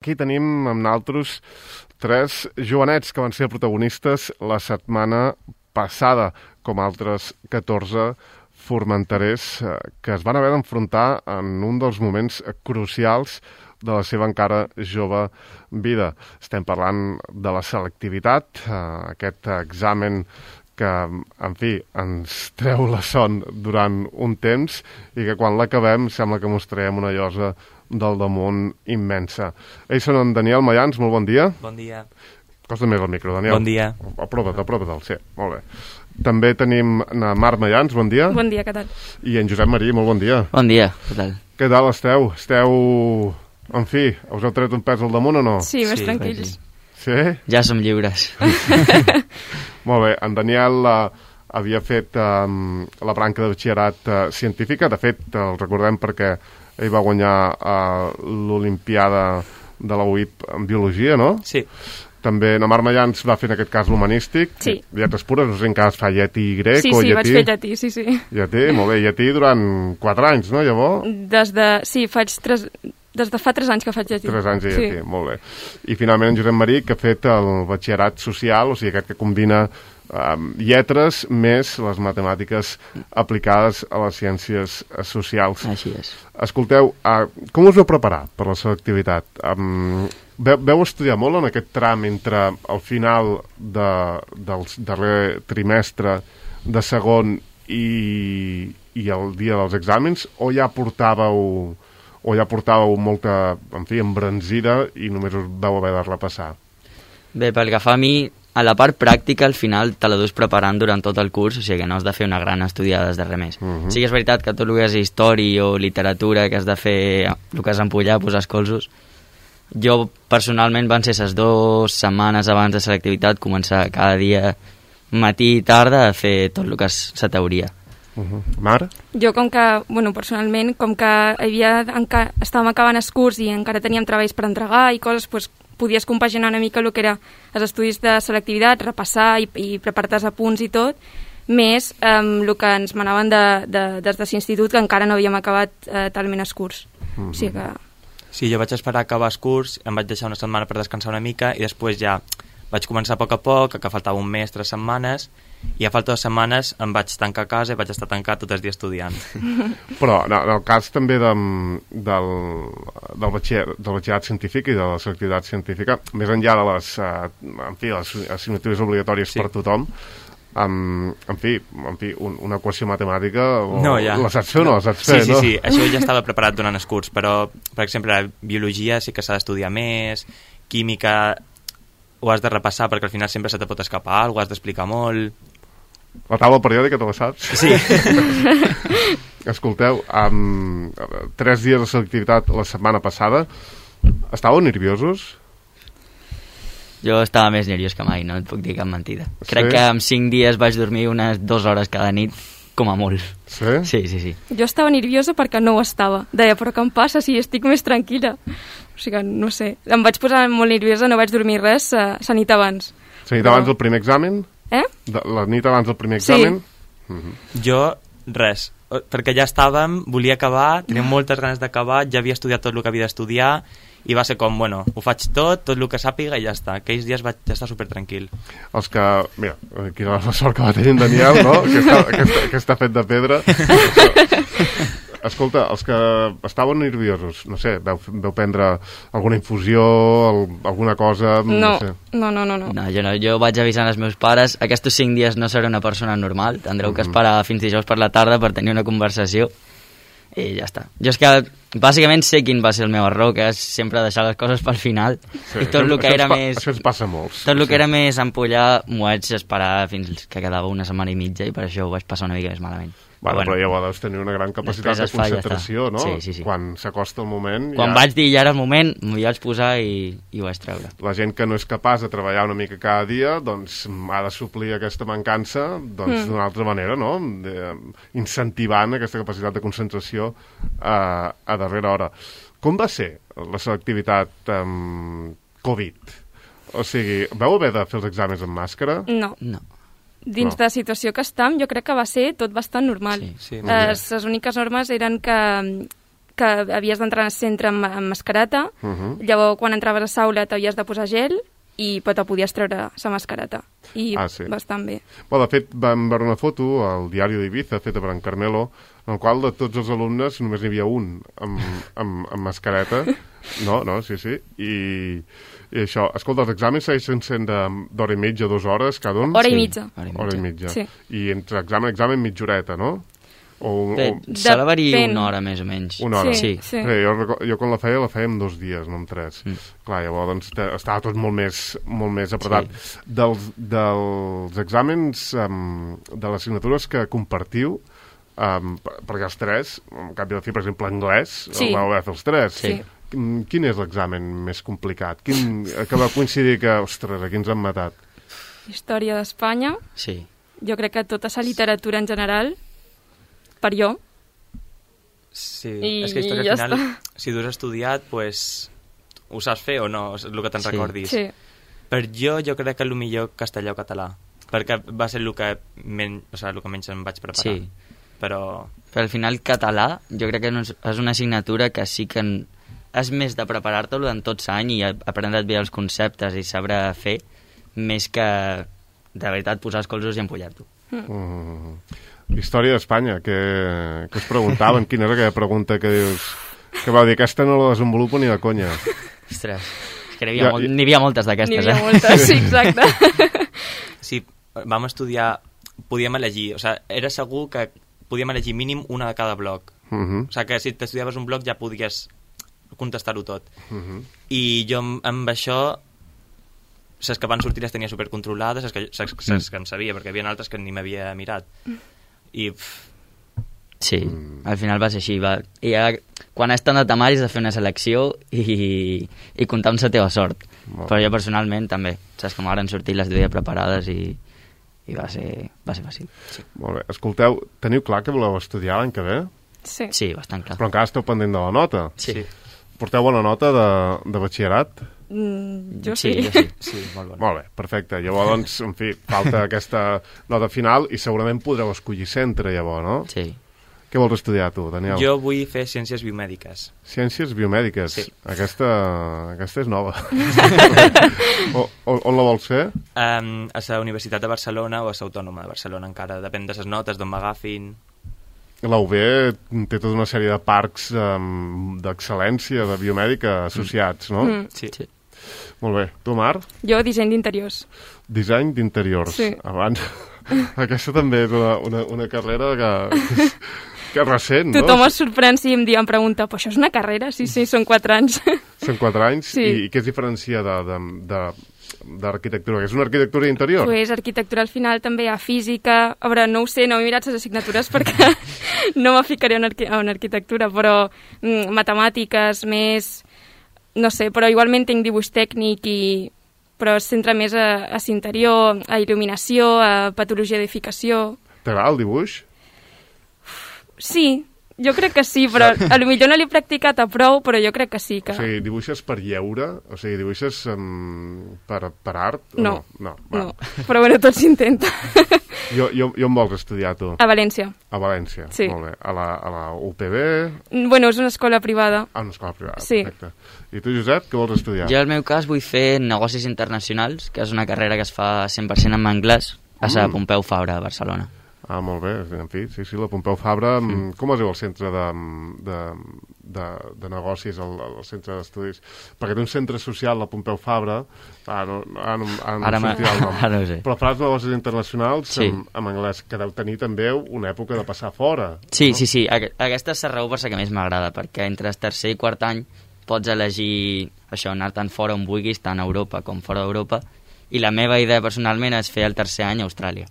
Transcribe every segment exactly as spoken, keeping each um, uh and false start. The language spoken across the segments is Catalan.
Aquí tenim amb naltros tres jovenets que van ser protagonistes la setmana passada, com altres catorze formenterers que es van haver d'enfrontar en un dels moments crucials de la seva encara jove vida. Estem parlant de la selectivitat, aquest examen que, en fi, ens treu la son durant un temps i que quan l'acabem sembla que mostrarem una llosa del damunt immensa. Ells són en Daniel Mayans, molt bon dia. Bon dia. Costa més el micro, Daniel. Bon dia. Aprova't, aprova't, sí, molt bé. També tenim na Mar Mayans, bon dia. Bon dia, què tal? I en Josep Marí, molt bon dia. Bon dia, què tal? Què tal esteu? Esteu, en fi, us heu tret un pes al damunt o no? Sí, més Sí, tranquils. Sí? Ja som lliures. Molt bé, en Daniel uh, havia fet um, la branca de batxillerat uh, científica, de fet, el recordem perquè ell va guanyar uh, l'Olimpiada de la U I P en Biologia, no? Sí. També na Mar Mayans va fer en aquest cas l'humanístic, Sí. lletres pures, no sé en cas fa llatí i grec Sí, o sí, llatí. vaig fer llatí, sí, sí. Llatí, molt bé, llatí durant quatre anys, no, llavors? Des de... Sí, faig tres... Des de fa tres anys que faig llatí. Tres anys de llatí, Sí. molt bé. I finalment en Josep Marí, que ha fet el batxillerat social, o sigui, aquest que combina um, lletres més les matemàtiques aplicades a les ciències socials. Així és. Escolteu, uh, com us vau preparar per la selectivitat? Um, veu, veu estudiar molt en aquest tram entre el final de, del darrer trimestre de segon i, i el dia dels exàmens, o ja portàveu o ja portàveu molta, en fi, embranzida i només us vau haver de repassar? Bé, pel que fa a mi, a la part pràctica, al final te la dus preparant durant tot el curs, o sigui que no has de fer una gran estudiada des de res més. Uh -huh. Sí que és veritat que tot el que és història o literatura, que has de fer el que has d'empullar, posar escolsos, jo personalment van ser les dues setmanes abans de selectivitat començar cada dia, matí i tarda, a fer tot el que és la teoria. Uh -huh. Mar? Jo, com que, bueno, personalment, com que havia, enca... estàvem acabant el curs i encara teníem treballs per entregar i coses, doncs, podies compaginar una mica el que era els estudis de selectivitat, repassar i, i preparar-te els apunts i tot, més eh, el que ens manaven de, de, des de l'institut, que encara no havíem acabat eh, talment el curs. Uh -huh. O sigui que... Sí, jo vaig esperar a acabar el curs, em vaig deixar una setmana per descansar una mica i després ja vaig començar a poc a poc, que faltava un mes, tres setmanes, i a falta de setmanes em vaig tancar a casa i vaig estar tancat tot el dia estudiant. Però en el cas també de, del, del, batxiller, del batxillerat científic i de la selectivitat científica, més enllà de les, uh, en fi, les assignatures obligatòries Sí. per tothom, um, en fi, en fi un, una equació matemàtica, o, No, ja. la saps fer o no la saps Sí, fer, sí, no? sí, això ja estava preparat durant el curs, però, per exemple, la biologia sí que s'ha d'estudiar més, química ho has de repassar perquè al final sempre se te pot escapar alguna cosa, has d'explicar molt. La taula periòdica te la saps? Sí. Escolteu, um, tres dies de selectivitat la setmana passada, estàveu nerviosos? Jo estava més nerviós que mai, no et puc dir cap mentida. Sí? Crec que en cinc dies vaig dormir unes dues hores cada nit, com a molt. Sí? Sí, sí, sí. Jo estava nerviosa perquè no ho estava. Deia, però què em passa si estic més tranquil·la? O sigui, no sé. Em vaig posar molt nerviosa, no vaig dormir res uh, la nit abans. La nit Però- abans del primer examen? Eh? De, la nit abans del primer Sí. examen? Uh -huh. Jo, res, perquè ja estàvem, volia acabar, tenia moltes ganes d'acabar, ja havia estudiat tot el que havia d'estudiar, i va ser com, bueno, ho faig tot, tot el que sàpiga i ja està. Aquells dies vaig estar supertranquil. Els que, mira, quina la sort que va tenir en Daniel, no? Que està, que està, que està fet de pedra. Escolta, els que estaven nerviosos, no sé, veu, veu prendre alguna infusió, el, alguna cosa... No, No sé. no, no, no. no. No, jo no, jo vaig avisant els meus pares, aquests cinc dies no seré una persona normal, tindreu que esperar fins dijous per la tarda per tenir una conversació i ja està. Jo és que bàsicament sé quin va ser el meu error, que és sempre deixar les coses pel final, Sí, i tot això- el que això era ens pa- més... Això ens passa a molts. Tot el Sí. que era més ampollar m'ho vaig esperar fins que quedava una setmana i mitja i per això ho vaig passar una mica més malament. Bueno, Però però ja deus tenir una gran capacitat després de es fa i ja concentració, està. no? Sí, sí, sí. Quan s'acosta el moment... Quan ja... vaig dir ja era el moment, m'hi vaig posar i, i ho vaig treure. La gent que no és capaç de treballar una mica cada dia, doncs ha de suplir aquesta mancança doncs, Mm. d'una altra manera, no? De, incentivant aquesta capacitat de concentració a, a darrera hora. Com va ser la selectivitat um, Covid? O sigui, vau haver de fer els exàmens amb màscara? No. No. Dins No. de la situació que estem, jo crec que va ser tot bastant normal. Sí, sí, Eh, molt bé. les úniques normes eren que, que havies d'entrar al centre amb, amb mascareta, Uh -huh. llavors quan entraves a saula t'havies de posar gel i però te podies treure la mascareta. I Ah, sí. bastant bé. Bueno, de fet, vam veure una foto al diari d'Ibiza, feta per en Carmelo, en el qual de tots els alumnes només n'hi havia un amb, amb, amb mascareta. No, no, sí, sí. I, i això, escolta, els exàmens segueixen sent de- d'hora i mitja, dues hores cada un? Hora i Sí, mitja. hora i Hora i mitja. mitja. Sí. I entre examen i examen mitja horeta, no? O, Bé, o sol haver-hi Depèn. una hora més o menys. una hora. Sí, Sí. sí. Bé, jo, reco- jo quan la feia, la feia en dos dies, no en tres. Mm. Clar, llavors doncs, te- estava tot molt més, molt més apretat. Dels, dels exàmens, um, de les assignatures que compartiu, um, per- perquè els tres, en canvi de fi, per exemple, anglès, Sí. el vau haver de fer els tres. Sí. Quin, quin és l'examen més complicat? Quin, que va coincidir que, ostres, aquí ens han matat? Història d'Espanya, Sí. jo crec que tota la literatura en general, per jo, Sí, I és que història ja al final, està. si tu has estudiat, pues, ho saps fer o no, és el que te'n Sí. recordis. sí. Per jo, jo crec que el millor castellà o català, perquè va ser el que, men, o sigui, el que menys em vaig preparar. Sí. Però Però al final català jo crec que no és, és una assignatura que sí que en, és més de preparar-te-lo en tot l'any i aprendre't bé els conceptes i saber fer, més que de veritat posar els colzos i empollar-t'ho. Mm. Història d'Espanya, que, que us preguntaven, quina és aquella pregunta que dius, que vau dir, aquesta no la desenvolupo ni de conya. Ostres, és que n'hi havia, Ja, molt, i- n'hi havia moltes N'hi d'aquestes, havia eh? moltes, sí, exacte. sí, vam estudiar, podíem elegir, o sigui, era segur que podíem elegir mínim una de cada bloc. Uh -huh. O sigui, que si t'estudiaves un bloc ja podies contestar-ho tot. Uh -huh. I jo amb, amb això, les que van sortir les tenia supercontrolades, les que, les, les que em sabia, perquè hi havia altres que ni m'havia mirat. I pff, Sí, al final va ser així. Va. I ja, quan has tant de temari has de fer una selecció i, i comptar amb la teva sort. Molt Però bé. jo personalment també, saps que m'han sortit les dues preparades i, i va, ser, va ser fàcil. Molt bé. Escolteu, teniu clar que voleu estudiar l'any que ve? Sí. Sí, bastant clar. Però encara esteu pendent de la nota. Sí, sí, Porteu bona nota de, de batxillerat? Mm, jo sí, sí. jo sí. sí, molt bon. Molt bé, perfecte. Llavors, doncs, en fi, falta aquesta nota final i segurament podreu escollir centre, llavors, no? Sí. Què vols estudiar, tu, Daniel? Jo vull fer ciències biomèdiques. Ciències biomèdiques. Sí. Aquesta, aquesta és nova. o, on, on la vols fer? Um, a la Universitat de Barcelona o a l'Autònoma de Barcelona encara, depèn de les notes, d'on m'agafin. La U B té tota una sèrie de parcs um, d'excel·lència de biomèdica associats, no? Mm. Sí. Sí. Molt bé. Tu, Mar? Jo, disseny d'interiors. Disseny d'interiors. Sí. Abans... Aquesta també és una, una, una carrera que, que, és, que és recent, no? Tothom es sorprèn si em, dia, em pregunta, però això és una carrera? Sí, sí, són quatre anys. Són quatre anys. Sí. I, i què es diferencia de, de, de, d'arquitectura? Que és una arquitectura interior? Pues arquitectura al final també hi ha física. A veure, no ho sé, no he mirat les assignatures perquè no me ficaré en, arqui en arquitectura, però mm, matemàtiques, més... No sé, però igualment tinc dibuix tècnic i però es centra més a, a l'interior, a il·luminació, a patologia d'edificació. T'agrada el dibuix? Sí, jo crec que sí, però a lo millor no l'he practicat a prou, però jo crec que sí. Que... O sigui, dibuixes per lleure? O sigui, dibuixes um, per, per art? o No, no, no, però bueno, tot s'intenta. Jo, jo, jo em vols estudiar, tu? A València. A València? Sí. Molt bé. A la, a la U P B? Bueno, és una escola privada. A una escola privada, Sí. perfecte. I tu, Josep, què vols estudiar? Jo, al meu cas, vull fer negocis internacionals, que és una carrera que es fa cent per cent en anglès, a la Mm. Pompeu Fabra, a Barcelona. Ah, molt bé, en fi, sí, sí, la Pompeu Fabra. Mm. Com es diu el centre de, de, de, de negocis, el, el centre d'estudis? Perquè té un centre social, la Pompeu Fabra, ah, no, ara no, ara no Ara em me- sortirà el nom. ara no ho sé. Però faràs negocis internacionals Sí. en, en anglès, que deu tenir també una època de passar fora. Sí, no? sí, sí. Aque- Aquesta és la raó per la que més m'agrada, perquè entre el tercer i quart any pots elegir això, anar tant fora on vulguis, tant a Europa com fora d'Europa, i la meva idea personalment és fer el tercer any a Austràlia.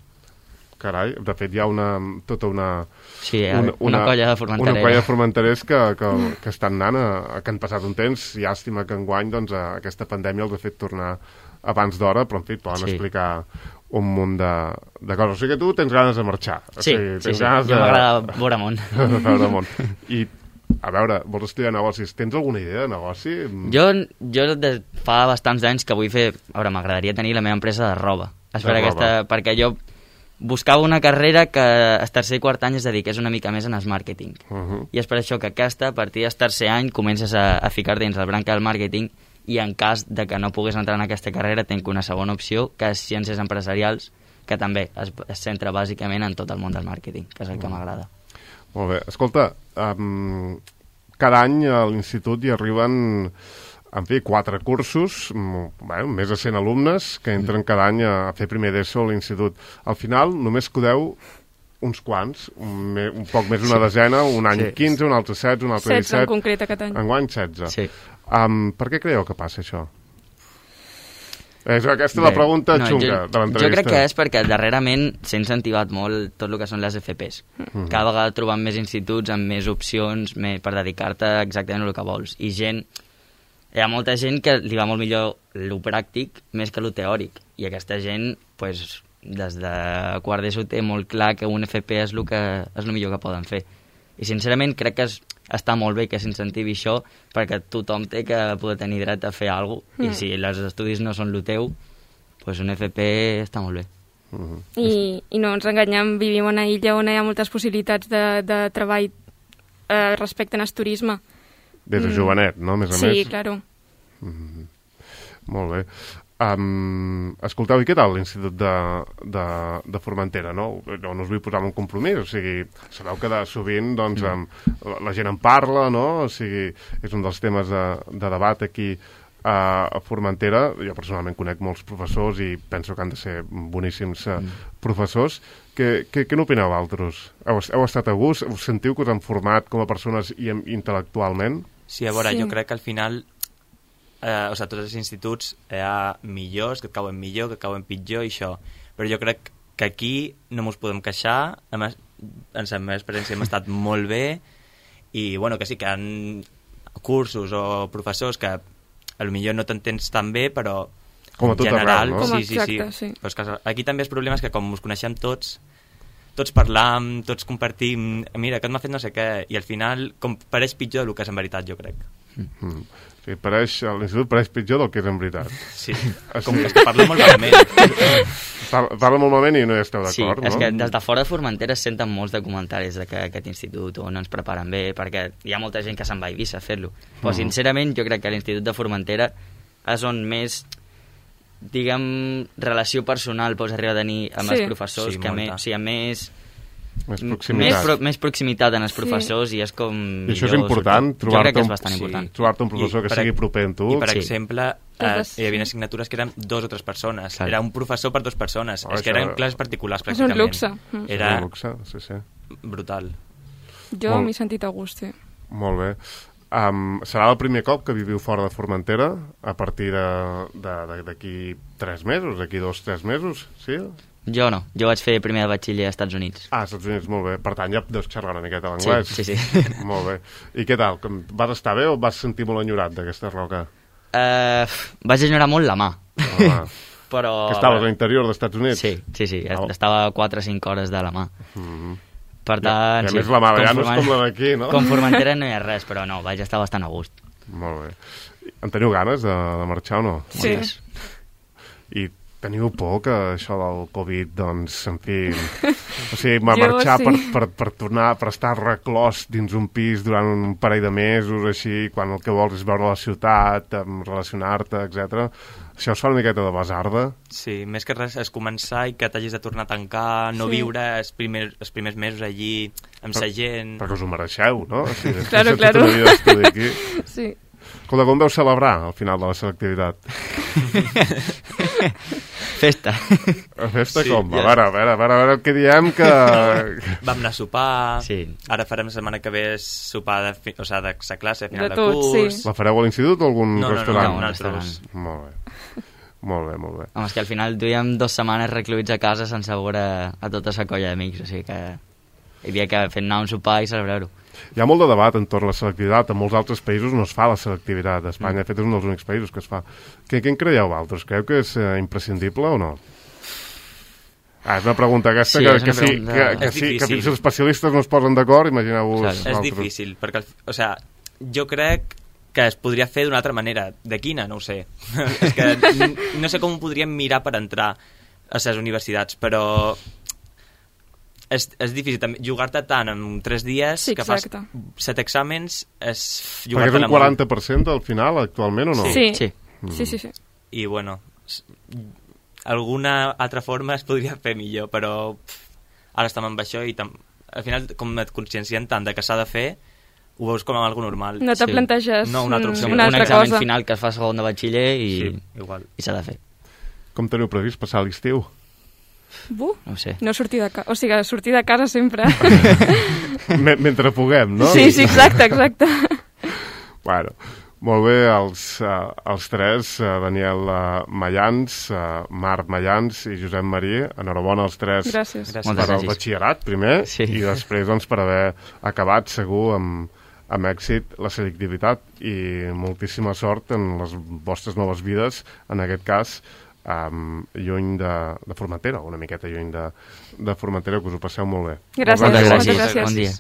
Carai, de fet hi ha una, tota una... Sí, una, una colla de formenterers. Una colla de formenterers que, que, que estan anant, a, que han passat un temps, llàstima que enguany doncs, a, aquesta pandèmia els ha fet tornar abans d'hora, però en fi, poden Sí. explicar un munt de, de coses. O sigui que tu tens ganes de marxar. O Sí, sigui, sí, tens sí. ganes Jo de... m'agrada veure món. de veure món. I, a veure, vols estudiar negocis? Tens alguna idea de negoci? Jo, jo de, fa bastants anys que vull fer... A veure, m'agradaria tenir la meva empresa de roba. És De per roba. aquesta, perquè jo buscava una carrera que el tercer i quart any es dediqués una mica més en el màrqueting. Uh -huh. I és per això que aquesta, a partir del tercer any, comences a, a ficar dins el branca del màrqueting i en cas de que no pogués entrar en aquesta carrera tinc una segona opció, que és ciències empresarials, que també es, es centra bàsicament en tot el món del màrqueting, que és el que Uh-huh. m'agrada. Molt bé. Escolta, um, cada any a l'institut hi arriben, en fi, quatre cursos, bueno, més de cent alumnes que entren cada any a fer primer d'ESO a l'institut. Al final només codeu uns quants, un, me, un poc més d'una desena, un any Sí. quinze, un altre setze, un altre setze en disset... concret aquest any. Enguany setze. Sí. Um, per què creieu que passa això? És aquesta la pregunta no, xunga jo, de l'entrevista. Jo crec que és perquè darrerament s'ha incentivat molt tot el que són les F Ps. Mhm. Cada vegada trobant més instituts amb més opcions més, per dedicar-te exactament el que vols. I gent, hi ha molta gent que li va molt millor lo pràctic més que lo teòric. I aquesta gent, pues, des de quart d'ESO té molt clar que un F P és el que és el millor que poden fer. I sincerament crec que és, està molt bé que s'incentivi això perquè tothom té que poder tenir dret a fer alguna cosa. Mm. I si els estudis no són el teu, pues un F P està molt bé. Uh-huh. I, I no ens enganyem, vivim en una illa on hi ha moltes possibilitats de, de treball eh, respecte al turisme. Des de jovenet, no? Més a Sí, més. claro. Mm-hmm. Molt bé. Um, escolteu, i què tal l'Institut de, de, de Formentera, no? No, no us vull posar en un compromís, o sigui, sabeu que de sovint doncs, mm. um, la gent en parla, no? O sigui, és un dels temes de, de debat aquí uh, a Formentera. Jo personalment conec molts professors i penso que han de ser boníssims uh, mm. professors. Què, què, què n'opineu altres? Heu, heu estat a gust? Us sentiu que us han format com a persones i intel·lectualment? Sí, a veure, Sí. jo crec que al final eh, o sigui, tots els instituts hi ha millors, que et cauen millor, que et cauen pitjor i això, però jo crec que aquí no mos podem queixar, a més, en la meva experiència hem estat molt bé i bueno, que sí que hi ha cursos o professors que a lo millor no t'entens tan bé, però Com a en tot general, arreu, no? Com sí, sí, exacte, sí. sí. Però és que aquí també el problema és que com ens coneixem tots, tots parlam, tots compartim, mira, que m'ha fet no sé què, i al final com pareix pitjor del que és en veritat, jo crec. Mm. Sí, pareix, l'institut pareix pitjor del que és en veritat. Sí, Ah, com sí? que és que parla molt malament. Parla, parla molt malament i no hi esteu Sí, d'acord, és no? que des de fora de Formentera es senten molts de comentaris de que aquest institut o no ens preparen bé, perquè hi ha molta gent que se'n va a Eivissa a fer-lo. Però, Mm. sincerament, jo crec que l'Institut de Formentera és on més, diguem, relació personal pots arribar a tenir amb Sí. els professors, Sí, que molta. més, o sigui, més, Més més, proximitat. pro, més proximitat en els Sí. professors i és com... I això és millor important, sortir. Jo trobar-te crec que és un- bastant sí. important. Trobar-te un professor I que per sigui ex- proper amb tu. I, per Sí. exemple, eh, Totes, hi havia sí. assignatures que eren dos o tres persones. Clar. Era un professor per dues persones. Oh, és que això- eren classes particulars, És un pràcticament. luxe. Mm. Era És un luxe, sí, sí. brutal. Jo Molt- m'he sentit a gust, sí. Molt bé. Um, serà el primer cop que viviu fora de Formentera a partir de- de- de- d'aquí tres mesos, d'aquí dos, tres mesos, sí? Jo no, jo vaig fer primer de batxiller als Estats Units. Ah, als Estats Units, molt bé. Per tant, ja deus xerrar una miqueta Sí, l'anglès. sí, sí. Molt bé. I què tal? Com- Vas estar bé o vas sentir molt enyorat d'aquesta roca? Uh, vaig enyorar molt la mà. Home, Però... que estaves a l'interior dels Estats Units? Sí, sí, sí, Oh. estava a quatre o cinc hores de la mà. Mm-hmm. Per tant, I a sí, més la mà ja no és Forment- com la d'aquí, no? Com Formentera no hi ha res, però no, vaig estar bastant a gust. Molt bé. En teniu ganes de, de marxar o no? Sí. Moltes. I teniu por que això del Covid, doncs, en fi... O sigui, Jo marxar sí. per, per, per tornar, per estar reclòs dins un pis durant un parell de mesos, així, quan el que vols és veure la ciutat, em, relacionar-te, etcètera. Això us fa una miqueta de basarda? Sí, més que res és començar i que t'hagis de tornar a tancar, no Sí. viure els primers, els primers mesos allí amb sa gent... Perquè us ho mereixeu, no? O sigui, després Claro, de tota claro. la vida d'estudi aquí. Sí. Escolta, com veu celebrar al final de la selectivitat? Festa. A festa Sí, com? A ja- veure, a veure, a veure, a veure què diem que... Vam anar a sopar, Sí. ara farem la setmana que ve sopar de, fi, o sigui, de sa classe a final De de, tot, curs. sí. La fareu a l'institut o a algun No, no, no, restaurant? no, un nosaltres. Molt bé. Molt bé, molt bé. Home, és que al final duíem dues setmanes recluïts a casa sense veure a tota la colla d'amics, o sigui que hi havia que fer anar un sopar i celebrar-ho. Hi ha molt de debat entorn a la selectivitat. En molts altres països no es fa la selectivitat. A Espanya, Mm. de fet, és un dels únics països que es fa. Què, què en creieu altres? Creu que és eh, imprescindible o no? Ah, és una pregunta aquesta Sí, que, és una que, sí, pregunta- que, que, És sí, que difícil. fins els especialistes no es posen d'acord, imagineu-vos... Clar, És altres. difícil, perquè, al fi- o sea, jo crec que es podria fer d'una altra manera. De quina? No ho sé. És que n- no sé com ho podríem mirar per entrar a les universitats, però és, és difícil també jugar-te tant en tres dies Sí, que fas exacte. set exàmens és Perquè és jugar-te un quaranta per cent del final actualment o no? Sí. Sí. Sí, sí, sí. i bueno s- alguna altra forma es podria fer millor, però pff, ara estem amb això i tam... al final com et consciencien tant de que s'ha de fer ho veus com algo normal. No te Sí. planteges No, una altra opció. mm, Sí, una un altra examen cosa. final que es fa segon de batxiller i, Sí, igual. i s'ha de fer. Com teniu previst passar l'estiu? Buh, No ho sé. no sortir de casa. O sigui, sortir de casa sempre. M Mentre puguem, no? Sí, sí, exacte, exacte. Bueno, molt bé, els, uh, els tres, uh, Daniel uh, Mayans, uh, Marc Mayans i Josep Marí, enhorabona als tres Gràcies. Gràcies. per Moltes al gràcies. batxillerat, primer, Sí. i després doncs, per haver acabat segur amb, amb èxit la selectivitat i moltíssima sort en les vostres noves vides, en aquest cas, um, lluny de, de Formentera, una miqueta lluny de, de Formentera, que us ho passeu molt bé. Gràcies, Moltes Moltes moltes gràcies. gràcies. Bon dia.